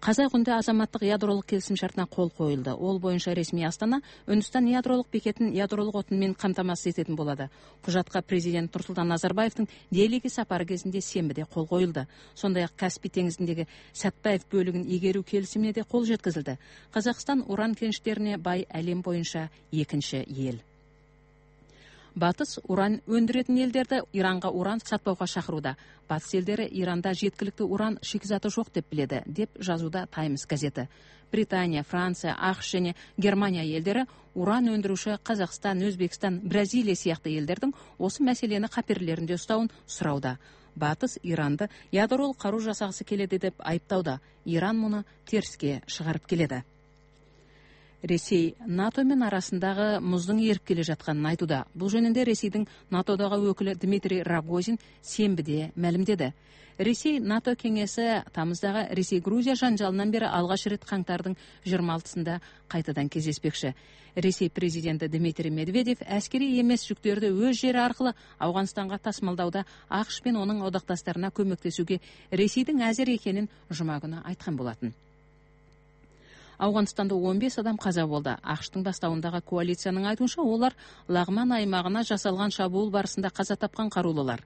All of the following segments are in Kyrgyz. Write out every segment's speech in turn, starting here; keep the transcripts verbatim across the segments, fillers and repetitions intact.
Казай күндө азаматтык ядролук келисим шартына кол коюлду. Ол боюнча ресми Астана Үндүстан ядролук бекетин ядролук отун менен камтамасыз этетін болады. Кужатка президент Нурсултан Назарбаевдин Делиге сапары кезинде сенбиде кол коюлду. Сондай ак Каспий теңизиндеги Сатпаев бөлүгүн игерүү келисимине де кол жеткизилди. Казакстан уран кеништерине бай әлем боюнча экинчи эл. Батыс уран өндүрөтүн элдерди Иранга уран сатпауга чакырууда. Батыс элдери Иранда жеткиликтүү уран шикизаты жок деп биледи, деп жазууда Таймс газети. Британия, Франция, АКШ жана Германия элдери уран өндүрүүчү Казакстан, Өзбекстан, Бразилия сыяктуу элдердин осы маселени каперлеринде уставын сурауда. Батыс Иранды ядролук каруу жасагысы келеди деп айыптауда. Иран муну терске чыгарып келеди. Ресей НАТО менен арасындагы муздун эрип келе жатканын айтууда. Бул жөнүндө Ресейдин НАТОдогу өкүлү Дмитрий Рогозин сенбиде маалимдеди. Ресей НАТО кеңеси тамыздагы Ресей-Грузия жанжалынан бери алгач ирет каңтардын жыйырма алтысында кайтадан кездеспекчи. Ресей президенти Дмитрий Медведев аскери эмес жүктөрдү өз жери аркылуу Афганстанга тасмалдауда АКШ менен онун одакташтарына көмөктөшүүгө Ресейдин азыр экенин жума күнү айткан болотун. Афганстанда он беш адам каза болду. АКШтын баштауындагы коалициянын айтуунча, олар Лагман аймагына жасалган чабуул барысында каза тапкан каруулуулар.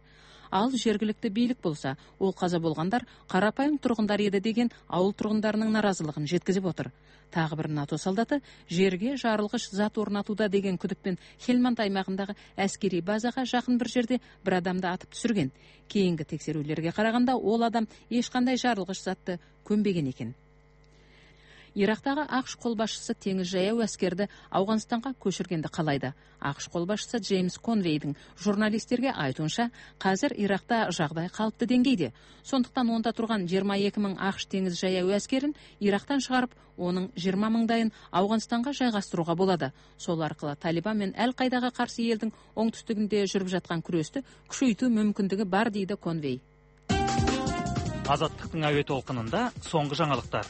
Ал жергиликтүү бийлик болсо, ол каза болгондар карапайым тургундар эди деген ауыл тургундарынын наразылыгын жеткизип отур. Тагы бир НАТО солдаты жерге жарылгыч зат орнатууда деген күдүкпен Хелманд аймагындагы аскерий базага жакын бир жерде бир адамды атып түшүргөн. Кийинки текшерүүлөргө караганда, ол адам эч кандай жарылгыч затты көмбөгөн экен. Ирактагы АКШ кол башчысы теңиз жаяу аскерди Афганстанга көчүргөндү каалайды. АКШ кол башчысы Джеймс Конвейдин журналисттерге айтуунча, азыр Иракта жагдай калыптуу деңгейде. Сондуктан онда турган жыйырма эки миң АКШ теңиз жаяу аскерин Ирактан чыгарып, онун жыйырма миңдайын Афганстанга жайгастырууга болот. Сол аркылуу Талибан менен Ал-Кайдага каршы элдин оңтүстүгүндө жүрүп жаткан күрөстү күчөйтүү мүмкүндүгү бар, дейди Конвей. Азаттыктын абий толкунунда соңку жаңылыктар.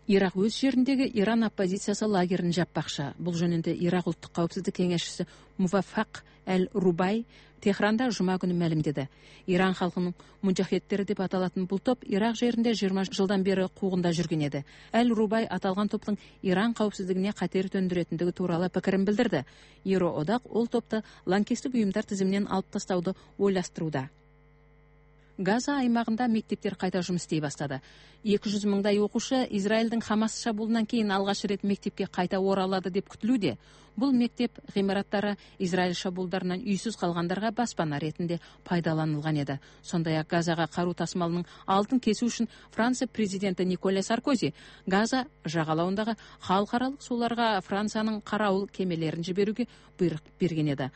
Ирак өз жериндеги Иран оппозициясы лагерин жаппакчы. Бул жөнүндө Ирак улуттук каупсиздик кеңешчиси Муваффак Ал-Рубай Техранда жума күнү маалимдеди. Иран халкынын мужахеттери деп аталатын бул топ Ирак жеринде жыйырма жылдан бери куугунда жүргөн эди. Ал-Рубай аталган топтун Иран каупсиздигине катер төндүрөтүндүгү тууралуу пикирин билдирди. Евроодак ол топты лаңкестик уюмдар тизиминен алып тастауду ойлаштырууда. Газа аймагында мектептер кайта жумуш истей баштады. эки жүз миңдай окуучу Израилдин Хамас чабуулунан кийин алгач ирет мектепке кайта оралады деп күтүлүүдө. Бул мектеп гымараттары Израиль чабуулдарынан үйсүз калгандарга баспана ретинде пайдаланылган эди. Сондай ак Газага каруу тасмалынын алдын кесүү үчүн Франция президенти Николя Саркози Газа жагалауындагы халкаралык сууларга Франциянын караул кемелерин жиберүүгө буйрук берген эди.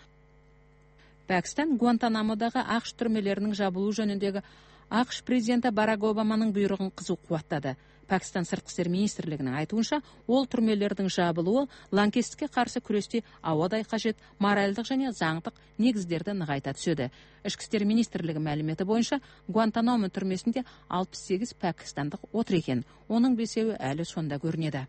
Пакистан Гуантанамодагы АКШ түрмөлөрүнүн жабылуу жөнүндөгү АКШ президенти Барак Обаманын буйругун кызуу кубаттады. Пакистан сырткы иштер министрлигинин айтуунча, ол түрмөлөрдүн жабылуу лаңкестикке каршы күрөштү абадай кажет моралдык жана заңдык негиздерди ныгайта түшөдү. Ички иштер министрлиги маалимети боюнча, Гуантанамо түрмөсүндө алпыс сегиз пакистандык отур экен. Онун бешөөү әлі сонда көрүнөдү.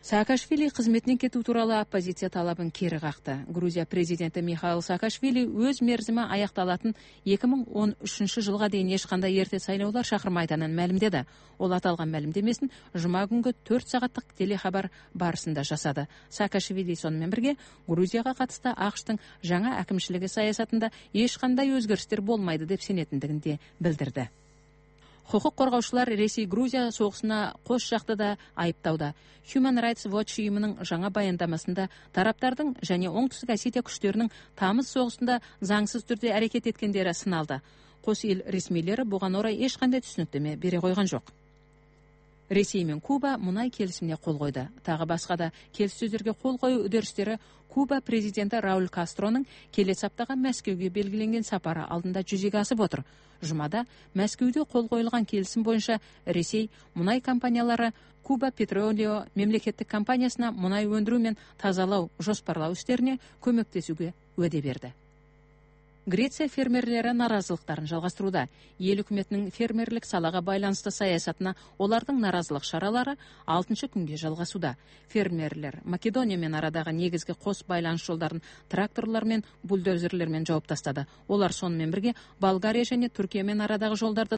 Саакашвили кызметинен кетүү тууралуу оппозиция талабын кери какты. Грузия президенти Михаил Саакашвили өз мерзими аякталатын эки миң он үчүнчү жылга дейин эч кандай эрте шайлоолор чакырмайтынын маалимдеди. Ол аталган маалимдемесин жума күнгө төрт сагаттык телехабар барысында жасады. Саакашвили сонун менен бирге Грузияга катышты АКШтын жаңа акимчилиги саясатында эч кандай өзгөрүштөр болмайды деп сенетиндигин де билдирди. Хукук коргоочулар Ресей-Грузия согушуна кош жакты да айыптауда. Human Rights Watch уюмунун жаңа баяндамасында тараптардын және Оңтүстүк Осетия күчтөрүнүн тамыз согушунда заңсыз түрдө аракет эткендери сыналды. Кош эл ресмилери буга орай эч кандай түшүнүктөмө бере койгон жок. Ресей менен Куба мунай келисимине кол койду. Тагы башка да келиссөздөргө кол коюу үдөрүштөрү Куба президенти Рауль Кастронун келесі аптага Мәскеуге белгиленген сапары алдында жүзөгө асып отур. Жумада Мәскеуде кол коюлган келисим боюнча Ресей мунай компаниялары Куба Петролио мемлекеттик компаниясына мунай өндүрүү менен тазалоо жоспарлоо иштерине көмөктөшүүгө өдө берди. Греция фермерлери наразылыктарын жалгастырууда. Эл өкмөтүнүн фермерлик салага байланыштуу саясатына олардын наразылык чаралары алтынчы күнгө жалгасууда. Фермерлер Македония менен арадагы негизги кос байланыш жолдорун тракторлор менен бульдозерлер менен жооп тастады. Олар сонун менен бирге Болгария жана Түркия менен арадагы жолдорду